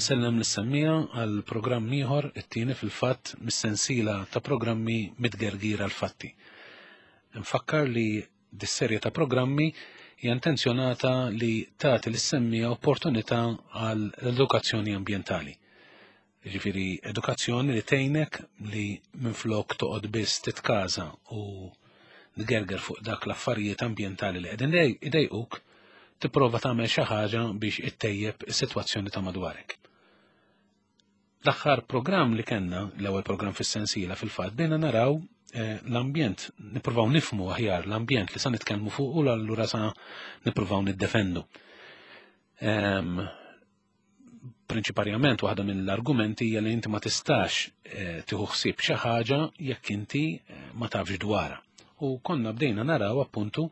Insellem lis-semmiegħa għal programm ieħor, it-tieni fil-fatt mis-sensiela ta' programmi Mitgergir għall-Fatti. Nfakkar li dis-serje ta' programmi hija intenzjonata li tagħti lis-semmiegħa opportunità għal edukazzjoni ambjentali. Jiġifieri edukazzjoni li tgħinek li minflok toqgħod biss titkaża u tgerger fuq dak l-affarijiet ambjentali li qegħdin idejquk, tipprova tagħmel xi ħaġa biex ittejjeb is-sitwazzjoni ta' madwarek. L-aħħar programm li kellna, l-ewwel programm fis-sensiela fil-fatt, bejna naraw eh, l-ambjent, nippruvaw nifmu aħjar l-ambjent li sa nitkellmu fuq u allura sa nippruvaw niddefendu. Ehm, prinċiparjament waħda mill-argumenti hija li inti ma tistax eh, tieħu ħsieb xi ħaġa jekk inti eh, ma tafx dwarha. U konna bdejna naraw appuntu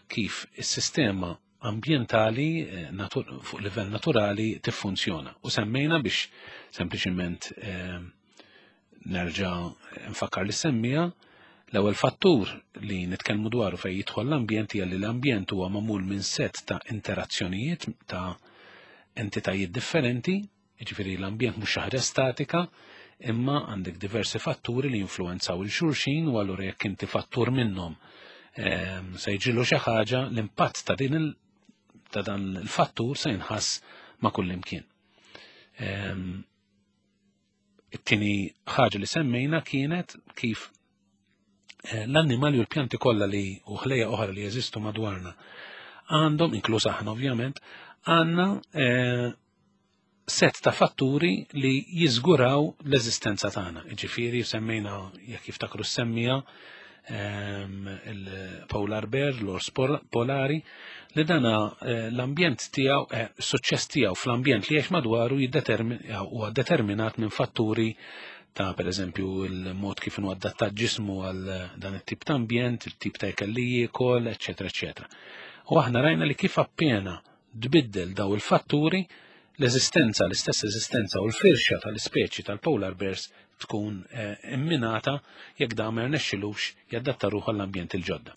kif is-sistema ambjentali eh, fuq livell naturali tiffunzjona. U semmejna biex sempliċiment Nerġa' nfakkar li semmija l-ewwel fattur li nitkellmu dwaru fejn jidħol l-ambjent hija li l-ambjent huwa magħmul minn set ta' interazzjonijiet ta' entitajiet differenti, jiġifieri l-ambjent mhux xi ħaġa statika, imma għandek diversi fatturi li jinfluwenzaw il-xulxin u allura jekk inti fattur minnhom ehm, se jiġilu xi ħaġa l-impatt ta' din il ta' dan il-fattur se jinħass ma' kullimkien. Ehm, It-tieni ħaġa li semmejna kienet kif eh, l-annimali u l-pjanti kollha li u ħlejja oħra li jeżistu madwarna għandhom, inkluż aħna ovvjament, għandna eh, set ta' fatturi li jiżguraw l-eżistenza tagħna. Ġifieri semmejna jekk jiftakru semmija ehm, il-polar bear, l-ors polari, li dana eh, l-ambjent tiegħu, eh, suċċess tiegħu fl-ambjent li jgħix madwaru huwa determinat minn fatturi ta' per eżempju il-mod kif inhu adattat ġismu għal dan it-tip ta' ambjent, il-tip ta' ikel li jiekol, eċetera, eċetera. U aħna rajna li kif appena tbiddel daw il-fatturi, l-eżistenza, l-istess eżistenza u l-firxa tal-ispeċi tal-polar bears tkun eh, imminata jekk dan ma rnexxilux jadatta ruħu għall-ambjent il-ġodda.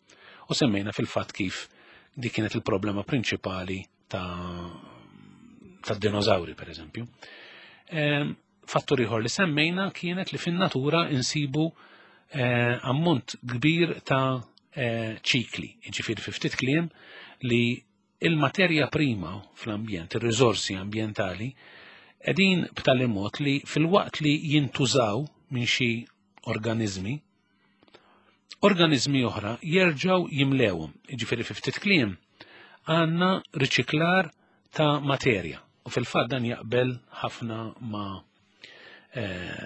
U semmejna fil-fatt kif dik kienet il-problema prinċipali ta' tad-dinożawri, per eżempju. Ehm, fattur ieħor li semmejna kienet li fin-natura insibu eh, ammont kbir ta' eh, ċikli, ġifieri fi ftit kliem li il-materja prima fl-ambjent, ir-riżorsi ambjentali, qegħdin b'tali mod li filwaqt li jintużaw minn xi organizmi, organizmi oħra jerġgħu jimlewhom. Jiġifieri fi ftit kliem għandna riċiklar ta' materja. U fil-fatt dan jaqbel ħafna ma' eh,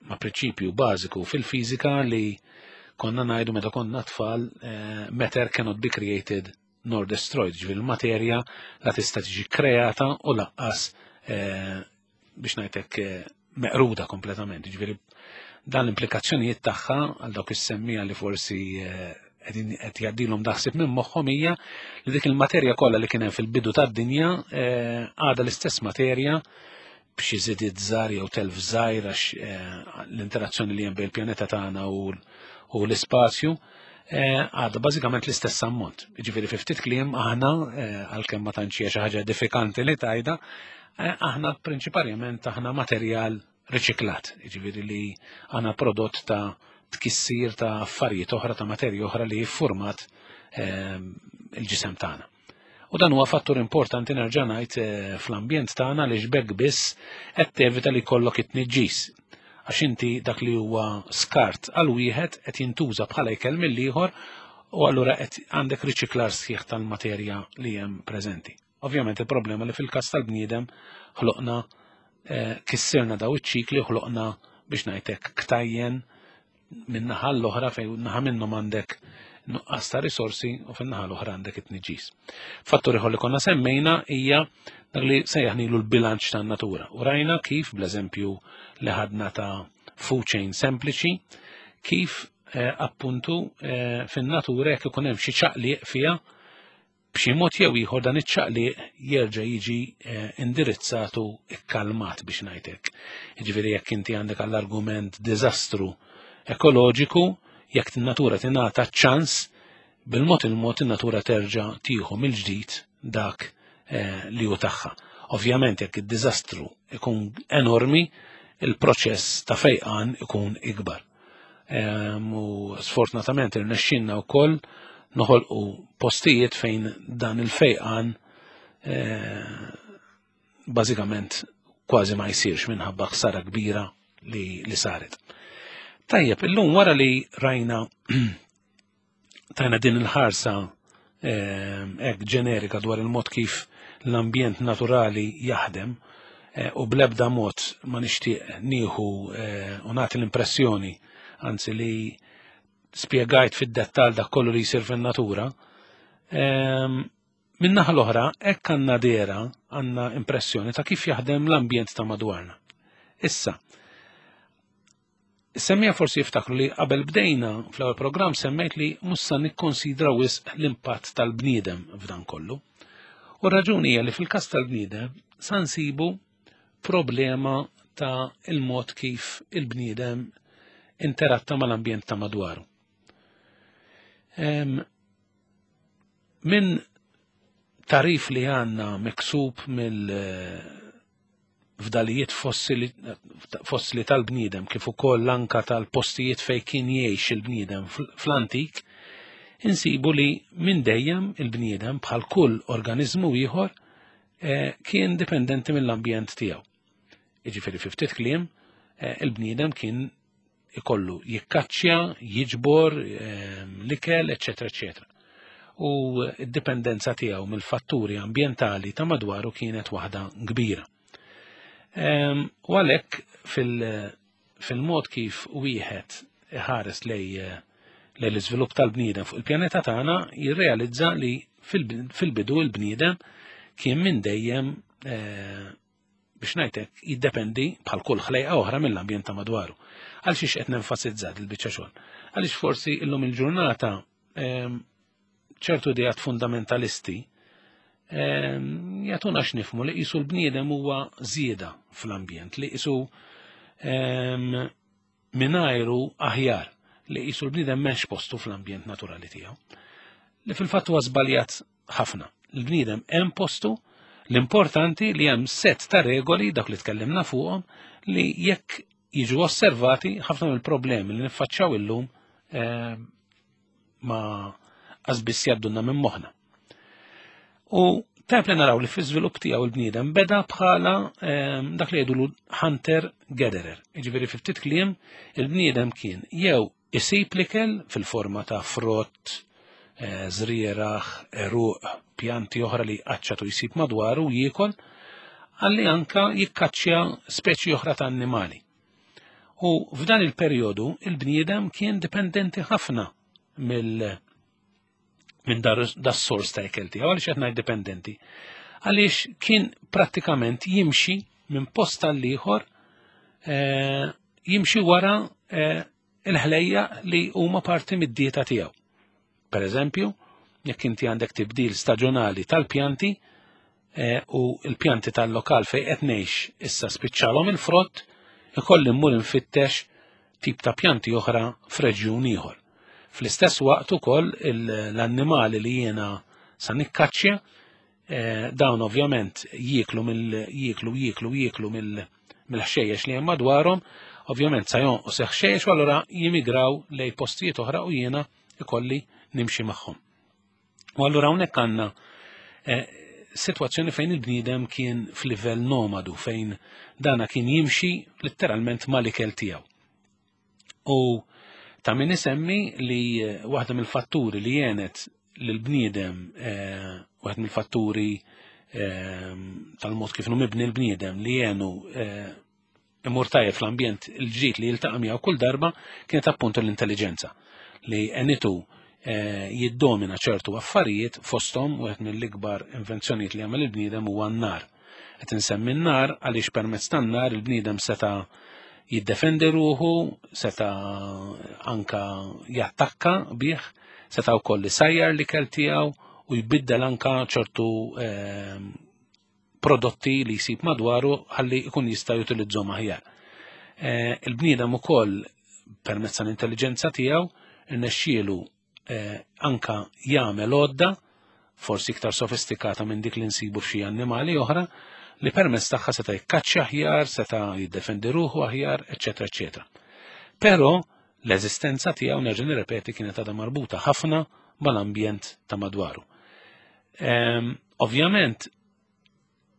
ma' prinċipju bażiku fil-fiżika li konna ngħidu meta konna tfal eh, matter cannot be created nor destroyed, ġifieri l-materja la tista' tiġi kreata u laqqas eh, biex ngħidlek eh, meqruda kompletament. Ġifieri dan l-implikazzjonijiet tagħha għal dawk is-semmija li forsi eh, qegħdin qed jgħaddilhom daħsib minn moħħhom hija li dik il-materja kollha li kien hemm fil-bidu tad-dinja għadha l-istess materja b'xi żidiet żgħar jew telf żgħir għax l-interazzjoni li hemm bejn il-pjaneta tagħna u l-ispazju eh, għadha bażikament l-istess ammont. Jiġifieri fi ftit kliem aħna eh, għalkemm ma tantx hija xi ħaġa edifikanti li tajda, eh, aħna prinċiparjament aħna materjal riċiklat, jiġifieri li aħna prodott ta' tkissir ta' affarijiet oħra ta' materja oħra li jiffurmat il-ġisem tagħna. U dan huwa fattur importanti nerġa' ngħid eh, fl-ambjent tagħna li xbek biss qed tevita li jkollok it-tniġġis. Għax inti dak li huwa skart għal wieħed qed jintuża bħala ikel mill-ieħor u allura qed għandek riċiklar sħiħ tal-materja li hemm preżenti. Ovvjament il-problema li fil-każ tal-bniedem ħloqna eh, kissirna daw iċ-ċikli u ħloqna biex ngħidlek ktajjen minn naħa l-oħra fejn naħa minnhom għandek nuqqas ta' risorsi u fin-naħa l-oħra għandek it-tniġġis. Fattur ieħor li konna semmejna hija dak li sejjaħnilu l-bilanċ tan-natura. U rajna kif bl-eżempju li ħadna ta' food chain sempliċi, kif eh, appuntu eh, fin-natura jekk ikun hemm xi ċaqliq fiha B'xi mod jew ieħor dan iċ-ċaqliq jerġa' jiġi eh, indirizzat u ikkalmat biex ngħid hekk. Jiġifieri jekk inti għandek għall-argument diżastru ekoloġiku, jekk in-natura tingħata ċans, bil-mod il-mod in-natura terġa' tieħu mill-ġdid dak eh, li hu tagħha. Ovvjament jekk id-diżastru ikun enormi, il-proċess ta' fejqan ikun ikbar. U sfortunatament irnexxinna wkoll noħolqu postijiet fejn dan il-fejqan eh, bażikament kważi ma jsirx minħabba ħsara kbira li, li saret. Tajjeb, illum wara li rajna tajna din il-ħarsa ehm, hekk ġenerika dwar il-mod kif l-ambjent naturali jaħdem eh, u blebda mod ma nixtieq nieħu eh, u nagħti l-impressjoni anzi li spjegajt fid-dettall dak kollu li jsir fin-natura. Ehm, Min-naħa l-oħra, hekk għandna dehra, għandna impressjoni ta' kif jaħdem l-ambjent ta' madwarna. Issa, Semmija forsi jiftakru li qabel bdejna fl-ewwel programm semmejt li mhux sa nikkonsidra wisq l-impatt tal-bniedem f'dan kollu. U r-raġuni hija li fil-każ tal-bniedem sa nsibu problema ta' il-mod kif il-bniedem interatta mal-ambjent ta' madwaru. Minn tarif li għanna miksub mill fdalijiet fossili tal-bniedem kif ukoll anka tal-postijiet fejn kien jgħix il-bniedem fl-antik, insibu li minn dejjem il-bniedem bħal kull organizmu ieħor eh, kien dipendenti mill-ambjent tiegħu. Jiġifieri fi ftit kliem, eh, il-bniedem kien ikollu jikkaċċja, jiġbor ehm, l-ikel, eċetera, eċetera. U d-dipendenza tiegħu mill-fatturi ambjentali ta' madwaru kienet waħda kbira. Ehm, u għalhekk fil-mod kif wieħed iħares lej lej l-iżvilupp tal-bniedem fuq il-pjaneta tagħna jirrealizza li fil-bidu l-bniedem kien minn dejjem eh, biex ngħidlek jiddependi bħal kull ħlejqa oħra mill-ambjent ta' madwaru. Għal xiex qed nenfasizza il-biċċa xogħol? Għaliex forsi illum il-ġurnata ehm, ċertu ideat fundamentalisti ehm, jagħtuna x'nifmu li qisu l-bniedem huwa żieda fl-ambjent, li qisu ehm, mingħajru aħjar li qisu l-bniedem m'hemmx postu fl-ambjent naturali tiegħu. Li fil-fatt huwa żbaljat ħafna. Il-bniedem hemm postu, l-importanti li hemm set ta' regoli dak li tkellimna fuqhom li jekk jiġu osservati ħafna mill-problemi li niffaċċjaw illum eh, ma qasbiss jaddunna minn moħħna. U tajb li naraw li fi żvilupp tiegħu l-bniedem beda bħala eh, dak li jgħidulu hunter gatherer. Jiġifieri fi ftit kliem il-bniedem kien jew Isib l-ikel fil-forma ta' frott, żrieragħ, għeruq, pjanti oħra li jqaċċat u jsib madwaru u jiekol, għalli anka jikkaċċja speċi oħra ta' annimali. U f'dan il-perjodu il-bniedem kien dipendenti ħafna mill minn das sors ta' ikel tiegħu, għaliex qed ngħid dipendenti. Għaliex kien prattikament jimxi minn post għal ieħor eh, jimxi wara eh, il-ħlejja li huma parti mid-dieta tiegħu. Per eżempju, jekk inti għandek tibdil staġjonali tal-pjanti eh, u l-pjanti tal-lokal fej qed ngħix issa spiċċalhom il-frott, ikolli mmur infittex tip ta' pjanti oħra f'reġjun ieħor. Fl-istess waqt ukoll l-annimali li jiena sa nikkaċċja eh, dawn ovvjament jieklu mill jieklu jieklu jieklu mill-ħxejjex li hemm madwarhom, ovvjament sa jonqos ħxejjex u allura jimigraw lej postijiet oħra u jiena ikolli nimxi magħhom. U allura hawnhekk għandna eh, situazzjoni fejn il-bniedem kien f'livell nomadu, fejn dana kien jimxi letteralment mal-ikel tiegħu. U ta' min isemmi li eh, waħda mill-fatturi li jenet l-bniedem, eh, waħda mill-fatturi tal-mod kif mibni l-bniedem li jenu imur tajjeb fl-ambjent il-ġdid li jiltaqa' miegħu kull darba kienet appuntu l-intelligenza li għenitu eh, jiddomina ċertu affarijiet fosthom wieħed mill-ikbar invenzjonijiet li għamel il-bniedem huwa n-nar. Qed insemmi n-nar għaliex permezz tan-nar il-bniedem seta' jiddefendi ruħu, seta' anka jattakka bih, seta' wkoll isajjar l-ikel tiegħu u jbiddel anka ċertu eh, prodotti li jsib madwaru ħalli jkun jista' jutilizzhom aħjar. Eh, il-bniedem ukoll permezz tal-intelligenza tiegħu irnexxielu eh, anka jagħmel għodda forsi iktar sofistikata minn dik li nsibu f'xi annimali oħra li permezz tagħha seta' jikkaċċja aħjar, seta' jiddefendi ruħu aħjar, eċetera, eċetera. Però l-eżistenza tiegħu nerġa' nirrepeti kienet għadha marbuta ħafna mal-ambjent ta' madwaru. Ehm, ovvjament,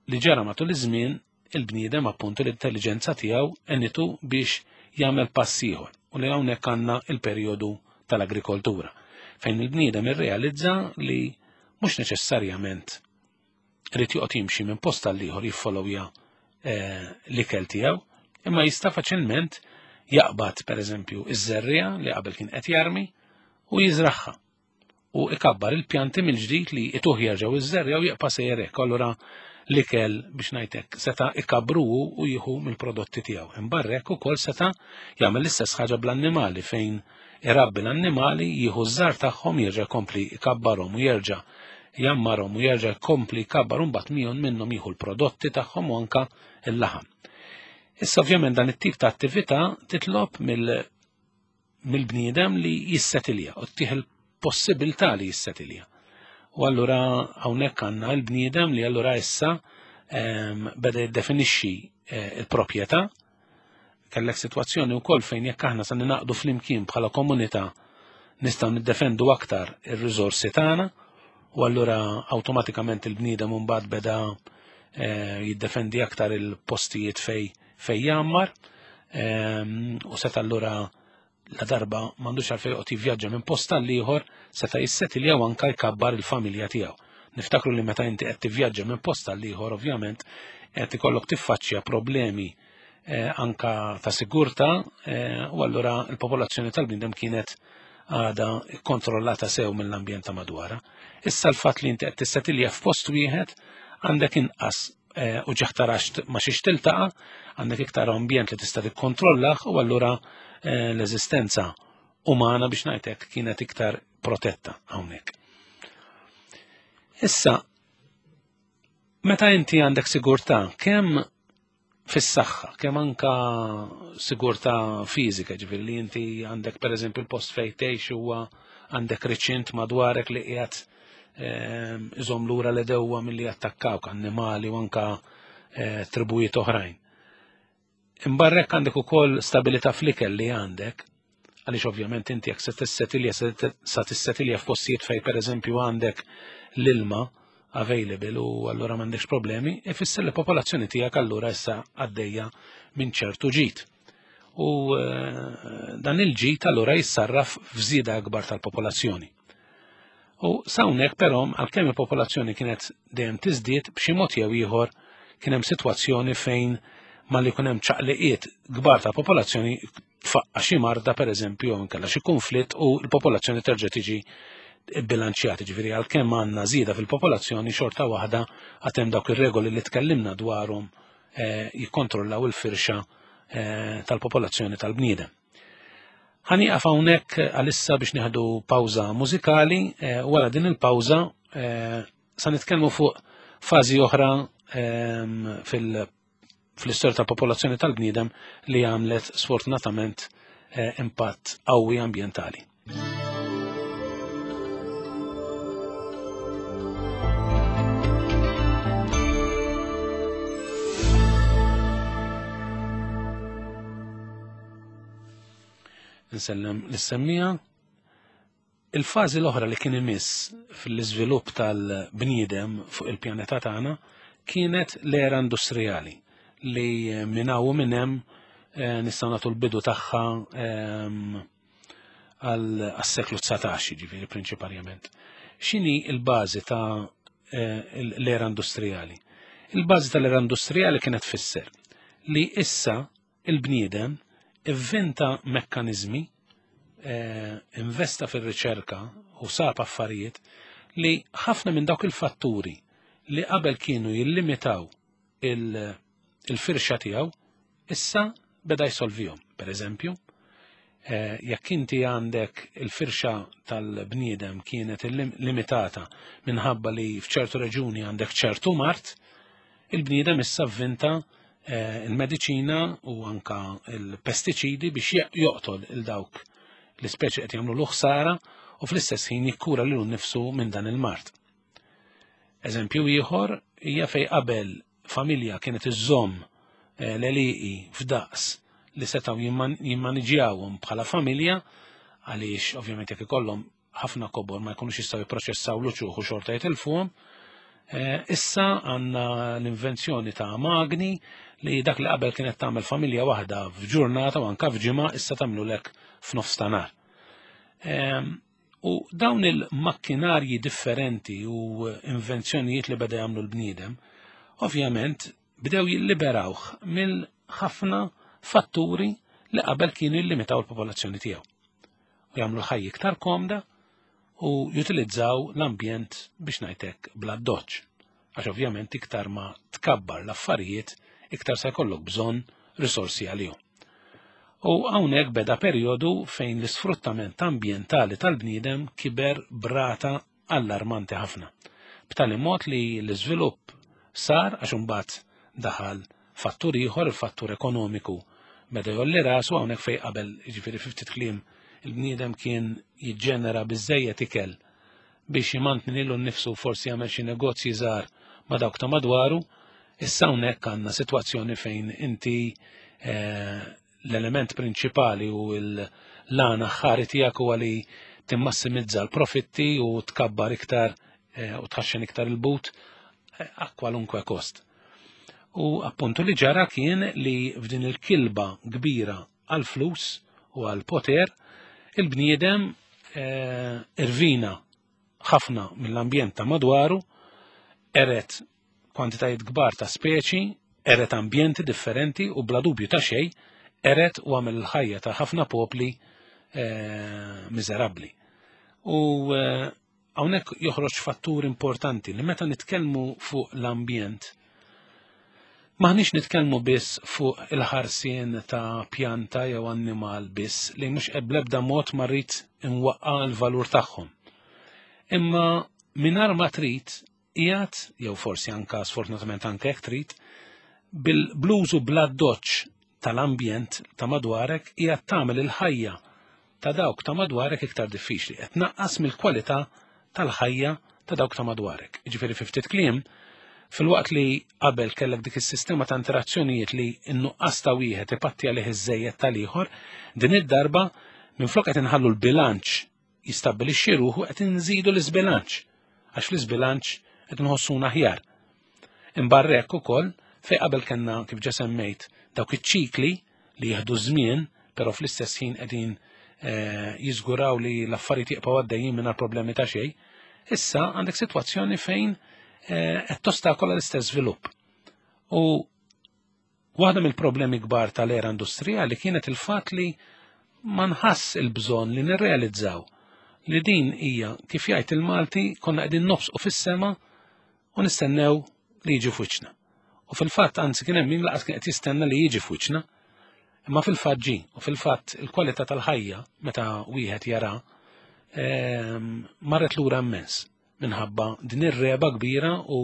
li ġara matul iż-żmien il-bniedem appuntu l-intelligenza tiegħu għenitu biex jagħmel pass ieħor u li hawnhekk għandna il-perjodu tal-agrikoltura fejn il-bniedem irrealizza li mhux neċessarjament irid joqgħod jimxi minn post għal ieħor jiffollowja eh, l-ikel tiegħu, imma jista' faċilment jaqbad pereżempju iż-żerriegħa li qabel kien qed jarmi u jiżraħħa u ikabbar il-pjanti mill-ġdid li ituh jerġgħu iż-żerriegħa u jibqa' sejjer hekk. Allura l-ikel biex ngħidlek seta' ikabru u jieħu mill-prodotti tiegħu. Imbarrek ukoll seta' jagħmel l-istess ħaġa bl-annimali fejn irabbi l-annimali, jieħu ż-żgħar tagħhom, jerġa' jkompli jkabbarhom u jerġa' jammarhom u jerġa' jkompli jkabbar u mbagħad miegħu minnhom jieħu l-prodotti tagħhom u anka l-laħam. Issa ovvjament dan it-tip ta' attività titlob mill-bniedem li jissetilja u ttih il-possibilità li jissetilja. U allura hawnhekk għandna l-bniedem li allura issa ehm, beda jiddefinixxi eh, il-proprjetà Kellek sitwazzjoni wkoll fejn jekk aħna se ninaqdu flimkien bħala komunità nistgħu niddefendu aktar ir-riżorsi tagħna u allura awtomatikament il-bniedem mbagħad beda eh, jiddefendi aktar il-postijiet fej fej jgħammar ehm, u seta' allura la darba m'għandux għalfejn joqgħod jivvjaġġa minn post għal ieħor seta' jissetilja u anka jkabbar il-familja tiegħu. Niftakru li meta inti qed tivvjaġġa minn post għal ieħor ovvjament qed ikollok tiffaċċja problemi eh, anka ta' sigurtà eh, u allura l-popolazzjoni tal-bniedem kienet għada kontrollata sew mill-ambjent ta' madwara. Issa l-fatt li inti qed tissetilja f'post wieħed għandek inqas eh, u ġaħtarax ma xiex tiltaqa, għandek iktar ambjent li tista' tikkontrollah u allura eh, l-eżistenza umana biex ngħidlek kienet iktar protetta hawnhekk. Issa, meta inti għandek sigurtà kemm fis-saħħa, kemm anka sigurtà fiżika, ġifieri li inti għandek pereżempju l-post fejn tgħix huwa għandek riċint madwarek li qiegħed ehm, iżomm lura l-edewwa milli jattakkawk annimali u anka eh, tribujiet oħrajn. Imbarrek għandek ukoll stabilità fl-ikel li għandek, għaliex ovvjament inti jekk se tissetilja sa tissetilja f'postijiet fejn pereżempju għandek l-ilma available u allura m'għandekx problemi, ifisser li popolazzjoni tiegħek allura issa għaddejja minn ċertu ġid. U eh, dan il-ġid allura jissarraf f'żieda akbar tal-popolazzjoni. U sawnek però għalkemm il-popolazzjoni kienet dejjem tiżdied b'xi mod jew ieħor kien hemm sitwazzjoni fejn malli jkun hemm ċaqliqiet kbar ta' popolazzjoni tfaqqa xi marda pereżempju jew inkella xi konflitt u l-popolazzjoni terġa' tiġi bilanċjata, ġifieri għalkemm għandna żieda fil-popolazzjoni xorta waħda għad hemm dawk ir-regoli li tkellimna dwarhom eh, jikkontrollaw il-firxa eh, tal-popolazzjoni tal-bniedem. Ħanieqaf hawnhekk għalissa biex nieħdu pawża mużikali, eh, wara din il-pawża sa nitkellmu fuq fażi oħra ehm, fil fl-istorja tal-popolazzjoni tal-bniedem li għamlet sfortunatament eh, impatt qawwi ambjentali. Nsellem l-semmija Il-fażi l-oħra li kien imiss fl-iżvilupp tal-bniedem fuq il-pjaneta tagħna kienet l-era industrijali li minn hawn u minn hemm eh, nistgħu nagħtu l-bidu tagħha ehm, għas-seklu 19 ġifieri prinċiparjament. X'inhi l-bażi ta' eh, l-era industrijali? Il-bażi tal-era industrijali kienet tfisser li issa Il-bniedem ivvinta mekkaniżmi, eh, investa fir-riċerka u sab affarijiet li ħafna minn dawk il-fatturi li qabel kienu jillimitaw il-firxa tiegħu issa beda jsolvihom. Per eżempju, eh, jekk inti għandek il-firxa tal-bniedem kienet limitata minħabba li f'ċertu reġuni għandek ċertu mart, Il-bniedem issa vvinta eh, il-mediċina u anka il-pestiċidi biex joqtol il dawk l-ispeċi qed jagħmlu l-ħsara u fl-istess ħin jikkura lilu nnifsu minn dan il-mard. Eżempju ieħor hija fej qabel familja kienet iżżomm eh, l-għelieqi f'daqs li setgħu jimmaniġjawhom bħala familja għaliex ovvjament jekk ikollhom ħafna kobor ma jkunux jistgħu jipproċessaw l-uċuħ u xorta jitilfuhom. Eh, issa għandna l-invenzjoni ta' magni li dak li qabel kienet tagħmel familja waħda f'ġurnata u anka f'ġimgħa issa tagħmlu lek f'nofs ta' nhar. Ehm, u dawn il-makkinarji differenti u invenzjonijiet li beda jagħmlu l-bniedem, ovvjament bdew jilliberawh mill-ħafna fatturi li qabel kienu jillimitaw il-popolazzjoni tiegħu. U jagħmlu l-ħajja iktar komda u jutilizzaw l-ambjent biex ngħidlek bla doċ. Għax ovvjament iktar ma tkabbar l-affarijiet, iktar se jkollok bżonn risorsi għalihom. U hawnhekk beda perjodu fejn l-isfruttament ambjentali tal-bniedem kiber brata allarmanti ħafna. B'tali mod li l-iżvilupp sar għax imbagħad daħal fattur ieħor, il-fattur ekonomiku beda jolli rasu hawnhekk fejn qabel jiġifieri fi ftit kliem il-bniedem kien jiġġenera biżejjed ikel biex jimantni lilu nnifsu forsi jagħmel xi negozji żgħar ma' dawk ta' madwaru, issa hawnhekk għandna sitwazzjoni fejn inti eh, l-element prinċipali u l-għan aħħari tiegħek huwa li timmassimizza l-profitti u tkabbar iktar eh, u tħaxxen iktar il-but eh, a kwalunkwe kost. U appuntu li ġara kien li f'din il-kilba kbira għal-flus u għal-poter, il-bniedem eh, irvina ħafna mill-ambjent ta' madwaru, eret kwantitajiet kbar ta' speċi, eret ambjenti differenti u bla dubju ta' xejn, eret u għamel il-ħajja ta' ħafna popli eh, miżerabbli. U eh, hawnhekk joħroġ fattur importanti li meta nitkellmu fuq l-ambjent, maħniex nitkellmu biss fuq il-ħarsien ta' pjanta jew annimal biss li mhux bl-ebda mod ma rrid inwaqqa l-valur tagħhom. Imma mingħajr ma trid qiegħed, jew forsi anka sfortunatament anke jekk trid, bil-blużu bla doċ tal-ambjent ta' madwarek qiegħed tagħmel il-ħajja ta' dawk ta' madwarek iktar diffiċli, qed tnaqqas mill-kwalità tal-ħajja ta' dawk ta' madwarek. Jiġifieri fi ftit kliem, filwaqt li qabel kellek dik is-sistema ta' interazzjonijiet li n-nuqqas ta' wieħed ipatti għalih iż-żejjed tal-ieħor, din id-darba minflok qed inħallu l-bilanċ jistabbilixxi ruħu qed inżidu l-iżbilanċ, għax fl-iżbilanċ qed nħossuna aħjar. Imbarra hekk ukoll fejn qabel kellna kif ġa semmejt dawk iċ-ċikli li jieħdu żmien, però fl-istess ħin qegħdin eh, jiżguraw li l-affarijiet jibqgħu għaddejjin mingħajr problemi ta' xejn, issa għandek sitwazzjoni fejn eh, qed tostakola l-istess żvilupp. U Waħda mill-problemi kbar tal-era industrijali kienet il-fatt li ma nħass il-bżonn li nirrealizzaw li din hija kif jgħid il-Malti konna qegħdin nobsqu fis-sema u nistennew li jiġi f'wiċċna. U fil-fatt anzi kien hemm min laqas kien qed jistenna li jiġi f'wiċċna, imma fil-fatt ġi, u fil-fatt il-kwalità tal-ħajja meta wieħed jara ehm, marret lura immens. minħabba din ir-reba kbira u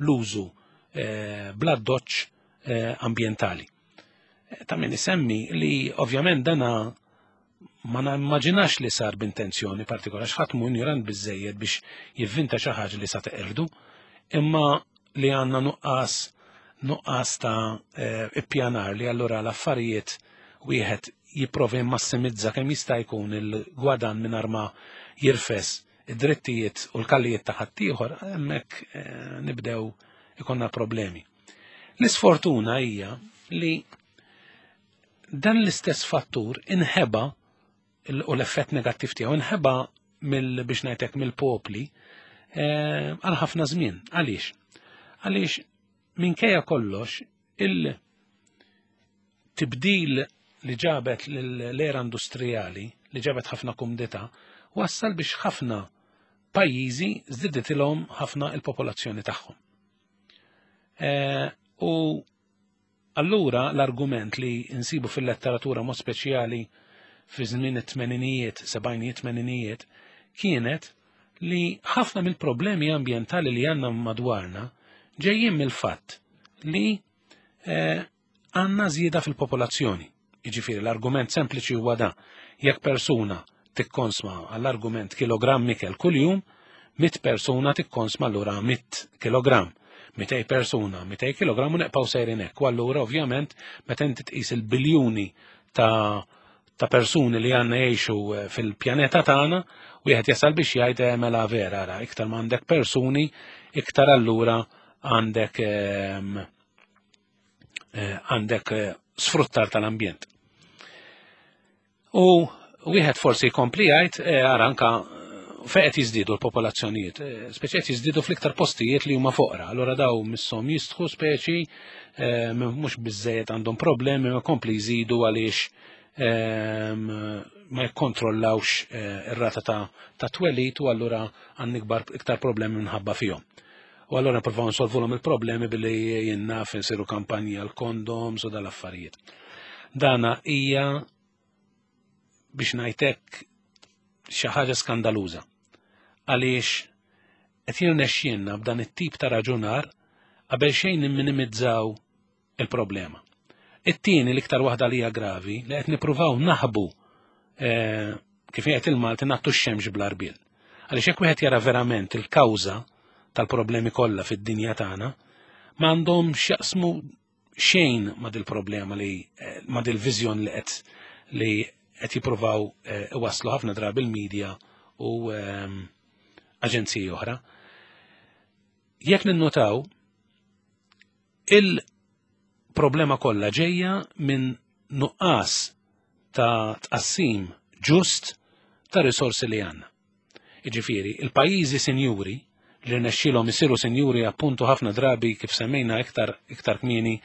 l-użu eh, bla doċ eh, ambjentali. Eh, ta' min isemmi li ovvjament dana ma nimmaġinax li sar b'intenzjoni partikolari x'ħadd mu ignorant biżejjed biex jivvinta xi ħaġa li sa teqirdu, imma li għandna nuqqas nuqqas ta' ippjanar li allura l-affarijiet wieħed jipprova jimmassimizza kemm jista' jkun il-gwadan mingħajr ma jirfes id-drittijiet u l-kallijiet ta' ħaddieħor, hemmhekk eh, nibdew ikonna problemi. L-isfortuna hija li dan l-istess fattur inħeba u l-effett negattiv tiegħu inħeba mill biex ngħidlek mill-popli eh, għal ħafna żmien. Għaliex? Għaliex minkejja kollox il- tibdil li ġabet l-era industrijali, li ġabet ħafna kumdità, wassal biex ħafna pajjiżi żdiditilhom ħafna il-popolazzjoni tagħhom. E, u allura l-argument li nsibu fil-letteratura mod speċjali fi żmien it-tmeninijiet, sebgħinijiet, tmeninijiet, kienet li ħafna mill-problemi ambjentali li għandna madwarna ġejjin mill-fatt li eh, għandna żieda fil-popolazzjoni. Jiġifieri l-argument sempliċi huwa da, jekk persuna tikkonsma għall-argument kilogramm ikel kuljum, mit persuna tikkonsma allura mit kilogramm. 200 persuna, 200 kilogramm u neqpaw sejrin hekk. U allura ovvjament meta inti tqis il-biljuni ta' ta' persuni li għandna jgħixu eh, fil-pjaneta tagħna, wieħed jasal biex jgħid eh, mela vera ara, iktar ma għandek persuni, iktar allura għandek ehm, eh, għandek sfruttar tal-ambjent. U wieħed forsi jkompli jgħid eh, ara anka fejn qed jiżdiedu l-popolazzjonijiet, eh, speċi qed jiżdiedu fl-iktar postijiet li huma foqra. Allura daw misshom jistħu speċi eh, mhux biżejjed għandhom problemi ma kompli jżidu għaliex ehm, ma jikkontrollawx eh, ir-rata ta' twelid u allura għandna ikbar iktar problemi minħabba fihom. U allura nippruvaw nsolvulhom il-problemi billi jinnaf nsiru kampanji għal kondoms u dal-affarijiet. Dana hija biex ngħidlek xi ħaġa skandaluża. Għaliex qed jirnexxielna b'dan it-tip ta' raġunar qabel xejn nimminimizzaw il-problema. It-tieni l-iktar waħda li hija gravi li qed nippruvaw naħbu eh, kif jgħid il-Malti nagħtu x-xemx bl-għarbiel. Għaliex jekk wieħed jara verament il-kawża tal-problemi kollha fid-dinja tagħna, m'għandhom x'jaqsmu xejn ma dil-problema li eh, ma dil-viżjon li qed li qed jippruvaw eh, iwasslu ħafna drabi il-medja u ehm, aġenziji oħra. Jekk ninnotaw il-problema kollha ġejja minn nuqqas ta' tqassim ġust ta' risorsi li għandna. Iġifieri, il-pajjiżi sinjuri li rnexxilhom isiru sinjuri appuntu ħafna drabi kif semmejna iktar iktar kmieni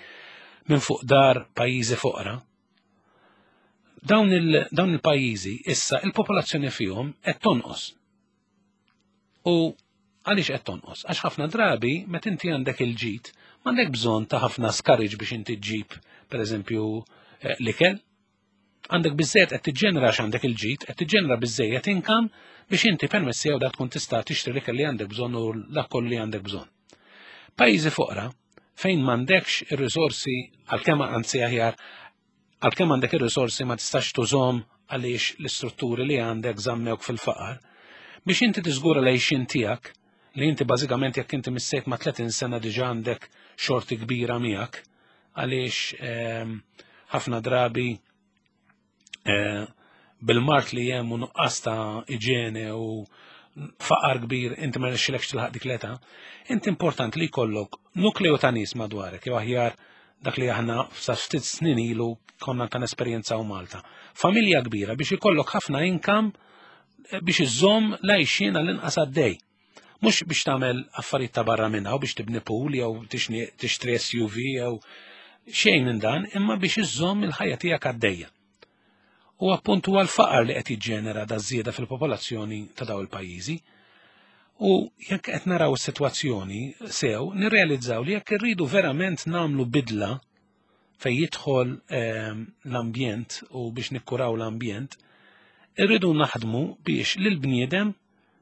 minn fuq dar pajjiżi foqra. Dawn il-pajjiżi issa il-popolazzjoni fihom qed tonqos. U għaliex qed tonqos? Għax ħafna drabi meta inti għandek il-ġid, m'għandek bżonn ta' ħafna skariġ biex inti ġġib, pereżempju, eh, l-ikel. Għandek biżejjed qed tiġġenera għax għandek il-ġid, qed tiġġenera biżejjed income biex inti permessi jew dak tkun tista' tixtri l-ikel li għandek bżonn u dak kollu li għandek bżonn. Pajjiżi foqra fejn m'għandekx ir-riżorsi għalkemm anzi aħjar għalkemm għandek ir-riżorsi ma tistax tużhom għaliex l-istrutturi li għandek żammewk fil-faqar, biex inti tiżgura l-għixien tiegħek li inti bażikament jekk inti missejt ma' 30 sena diġà għandek xorti kbira miegħek għaliex ehm, ħafna drabi eh, bil-mard li hemm u nuqqas ta' iġene u faqar kbir inti ma rnexxilekx tilħaq dik l-età, inti importanti li jkollok nukleu ta' nies madwarek jew aħjar dak li aħna sa ftit snin ilu konna kan esperjenzaw Malta. Familja kbira biex ikollok ħafna income eh, biex iżżomm l-għajxien għall-inqas għaddej. Mhux biex tagħmel affarijiet ta' barra minnha u biex tibni pool jew tixtri SUV jew xejn minn dan, imma biex iżżomm il-ħajja tiegħek għaddejja. U appuntu huwa l-faqar li qed jiġġenera da żieda fil-popolazzjoni ta' daw il-pajjiżi. U jekk qed naraw is-sitwazzjoni sew, nirrealizzaw li jekk irridu verament nagħmlu bidla fejn jidħol ehm, l-ambjent u biex nikkuraw l-ambjent, irridu naħdmu biex lil bniedem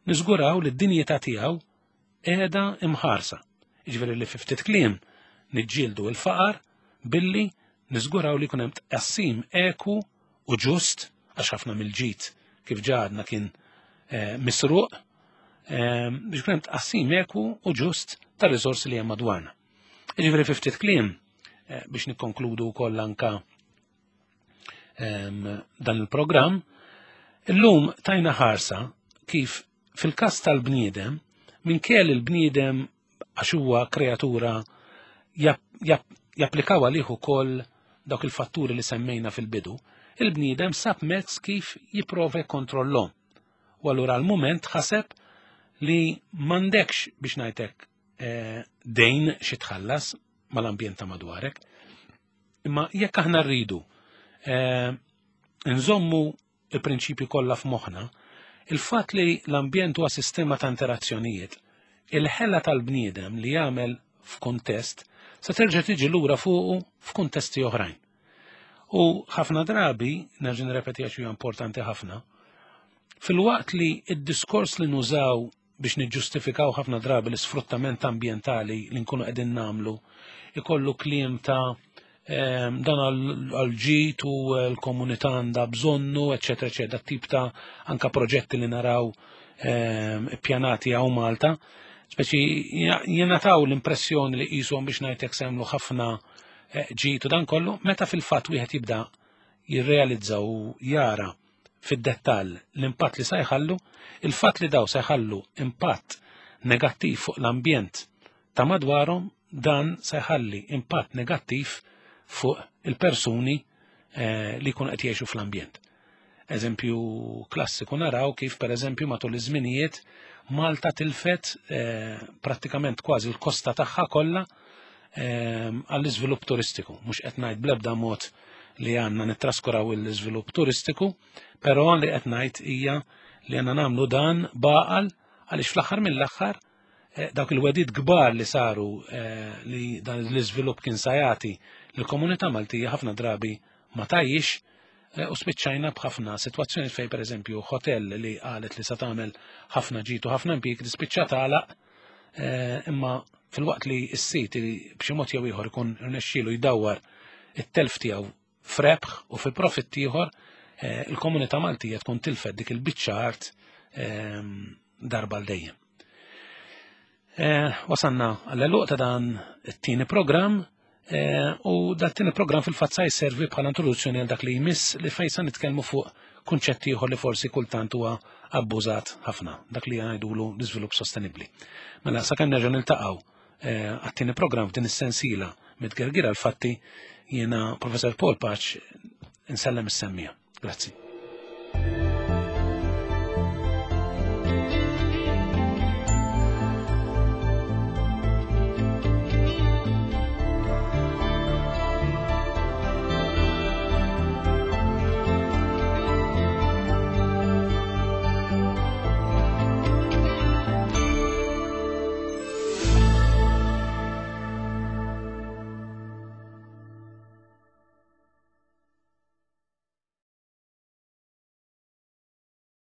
niżguraw li d-dinjità tiegħu qiegħda imħarsa. Jiġifieri li fi ftit kliem niġġieldu l-faqar billi niżguraw li jkun hemm tqassim eku u ġust għax ħafna mill-ġid kif ġadna kien eh, misruq eh, biex ikun hemm tqassim eku u ġust ta' riżorsi li hemm madwarna. Jiġifieri fi ftit kliem eh, biex nikkonkludu wkoll anka ehm, dan il-programm, illum tajna ħarsa kif fil-każ tal-bniedem, minkejja li l-bniedem għax huwa kreatura japplikaw għalih ukoll dawk il-fatturi li semmejna fil-bidu, il-bniedem sab mezz kif jipprova jkontrollhom. U allura għal-mument ħaseb li m'għandekx biex ngħidlek eh, dejn xi tħallas mal-ambjent ta' madwarek. Imma jekk aħna rridu eh, nżommu il-prinċipji kollha f'moħħna, il-fatt li l-ambjent huwa sistema ta' interazzjonijiet, il-ħela tal-bniedem li jagħmel f'kuntest se terġa' tiġi lura fuqu f'kuntesti oħrajn. U ħafna drabi, nerġa' nirrepeti għax huwa importanti ħafna, filwaqt li id-diskors li nużaw biex niġġustifikaw ħafna drabi l-isfruttament ambjentali li nkunu qegħdin nagħmlu, ikollu kliem ta' dan għal-ġid u l-komunità għandha bżonnu, eċetera, eċetera, tip ta' anka proġetti li naraw ippjanati hawn Malta. Speċi jingħataw l-impressjoni li qishom biex ngħidlek se jagħmlu ħafna eh, ġid u dan kollu, meta fil-fatt wieħed jibda jirrealizza u jara fid-dettall l-impatt li se jħallu, il-fatt li daw se jħallu impatt negattiv fuq l-ambjent ta' madwarhom dan se jħalli impatt negattiv fuq il-persuni eh, li jkunu qed jgħixu fl-ambjent. Eżempju klassiku naraw kif pereżempju matul iż-żminijiet Malta tilfet eh, prattikament kważi l-kosta tagħha kollha eh, għall-iżvilupp turistiku. Mhux qed ngħid bl-ebda mod li għandna nittraskuraw l-iżvilupp turistiku, però li qed ngħid hija li għandna nagħmlu dan baqal għaliex fl-aħħar mill-aħħar eh, dawk il-wedid kbar li saru li dan l-iżvilupp kien sajati l-komunità Maltija ħafna drabi ma tajjix eh, u spiċċajna b'ħafna sitwazzjoni fejn pereżempju hotel li qalet li sa tagħmel ħafna ġid u ħafna impjieg tispiċċa tagħlaq eh, imma fil-waqt li s-sit b'xi mod jew ieħor ikun rnexxielu jdawwar it-telf tiegħu f'rebħ u fi profitt ieħor, eh, il-komunità Maltija tkun tilfet dik il-biċċa art darba l dejjem. Wasanna għall-eluq ta' dan it-tieni programm eh, u dat tieni programm fil-fatt sa jservi bħala introduzzjoni għal dak li jmiss li fejn sa nitkellmu fuq kunċett ieħor li forsi kultant huwa abbużat ħafna, dak li ngħidulu l-iżvilupp sostenibbli. Mela sakemm nerġa' niltaqgħu eh, għat-tieni programm f'din is-sensiela mitgergira l-fatti jiena Professor Paul Paċ insellem is-semmija. Grazzi.